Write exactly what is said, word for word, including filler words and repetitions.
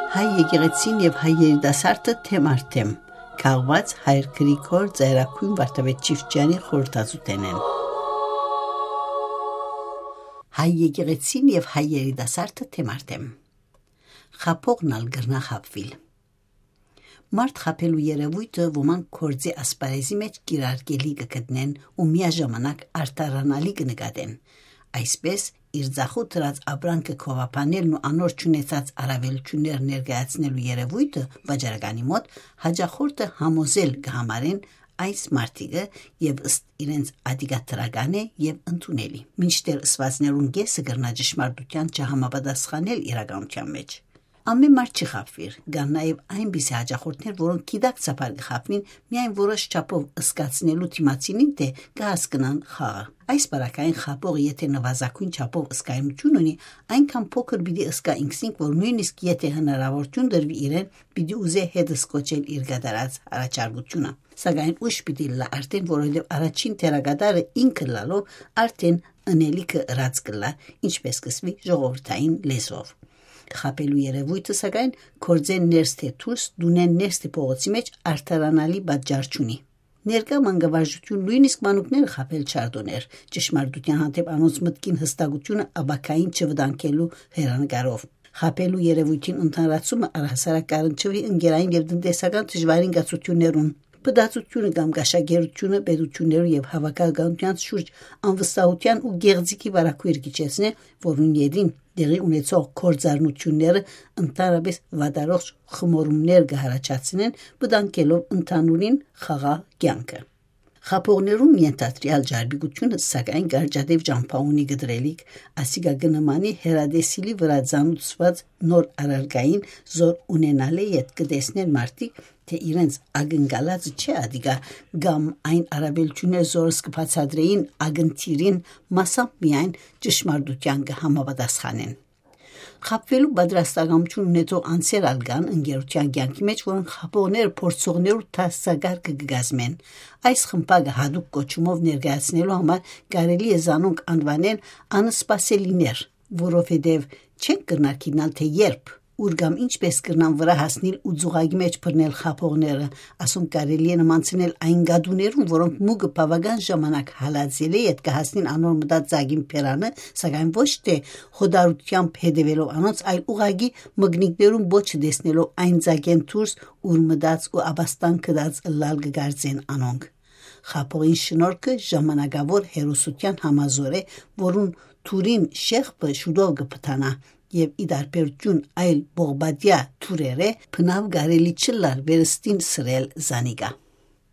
Հայ եկեղեցին եւ հայ երիտասարդը թեմ առ թեմ, քաղուած Հայր Գրիգոր Ծայրագոյն Վարդապետ Չիֆճեանի խորհրդածութենէն։ Հայ եկեղեցին եւ հայ երիտասարդը թեմ առ թեմ։ Խաբողն ալ կրնայ խաբուիլ։ Մարդ խաբելու երեւոյթը ոմանք գործի ասպարէզի մէջ կիրարկելի կը գտնեն ու միաժամանակ արդարանալի կը նկատեն։ Այսպէս, իր ձախու դրած ապրանքը գովաբանելն ու անոր չունեցած առաւելութիւններ ներկայացնելու երեւոյթը վաճառականի մօտ հաճախորդը համոզել կը համարեն այս մարդիկը եւ ըստ իրենց ատիկա դրական է եւ ընդունելի, մինչդեռ ըսուածներուն կէսը կրնայ ճշմարտութեան չհամապատասխանել իրականութեան մէջ։ Ամէն մարդ չի խաբուիր, կան նաեւ այնպիսի հաճախորդներ, որոնք գիտակցաբար կը խաբուին, միայն որոշ չափով ըսկացնելու դիմացինին, թէ կը հասկնան խաղը։ Այս պարագային խաբողը եթէ նուազագոյն չափով ըսկայնութիւն ունի, այնքան փոքր պիտի ըսկայ ինքզինք, որ նոյնիսկ եթէ հնարաւորութիւն տրուի իրեն, պիտի ուզէ հետս կոչել իր կատարած առաջարկութիւնը։ Սակայն ուշ պիտի ըլլայ արդէն, որովհետեւ առաջին դերակատարը ինք ըլլալով արդէն ընելիքը ըրած կ'ըլլայ, ինչպէս կ'ըսուի ժողովրդային լեզուով։ Խաբելու երեւոյթը, սակայն, գործէն ներս թէ դուրս, տունէն ներս թէ փողոցի մէջ արդարանալի պատճառ չունի։ Ներկայ մանկավարժութիւն նոյնիսկ մանուկները խաբել չարդոներ, ճշմարտութեան հանդէպ անոնց մտքին յստակութիւնը ապագային չվտանգելու հեռանկարով։ Խաբելու երեւոյթին ընդհանրացումը առհասարակ կ'առնչուի ընկերային եւ տնտեսական դժուարին կացութիւններուն։ Փտածութիւնը կամ կաշակերտութիւնը պետութիւններու եւ հաւաքականութեան շուրջ անվստահութեան ու գեղձիկի վարագոյր կը իջեցնէ, որուն ետին տեղի ունեցող գործառնութիւնները ընդհանրապէս վատառողջ խմորումներ կը յառաջացնեն, վտանգելով ընդհանուրին խաղաղ կեանքը։ Խաբողներուն ենթադրեալ ճարպիկութիւնը, սակայն, կարճատեւ ճամբայ ունի կտրելիք, ասիկա կը նմանի հեռատեսիլի վրայ ծանուցուած նոր առարկային, զոր ունենալէ յետ կը տեսնեն մարդիկ, թէ իրենց ակնկալածը չէ ատիկա, կամ այն առաւելութիւններ, զորս կը բացատրէին ակնթիրին, մասամբ միայն ճշմարտութեան կը համապատասխանեն։ Խաբուելու պատրաստակամութիւն ունեցող անձեր ալ կան ընկերութեան կեանքի մէջ, որոնք խաբողները փորձողներու դասակարգը կը կազմեն։ Այս խմբակը յատուկ կոչումով ներկայացնելու համար կարելի է զանոնք անուանեն անսպասելիներ, որովհետեւ չենք կրնար գիտնալ, թէ երբ, ուր կամ ինչպէս կրնան վրայ հասնիլ ու ձուղակի մէջ բռնել խաբողները, ասոնք կարելի է նմանցնել այն կատուներուն, որոնք մուկը բաւական ժամանակ հալածելէ յետ կը հասնին անոր մտած ծակին բերանը, սակայն ոչ թէ հոտառությամբ հետեւելով անոնց, այլ ուղղակի մկնիկներուն պոչը տեսնելով այն ծակէն դուրս, ուր մտած ու ապաստան գտած ըլլալ կը կարծեն անոնք։ Խաբողին շնորհքը ժամանակաւոր հերոսութեան համազոր է, որուն թուրին շեղբը շուտով կը փտանայ, եւ ի տարբերութիւն այլ պողպատեայ թուրերէ, բնաւ կարելի չըլլար վերստին սրել զանիկա։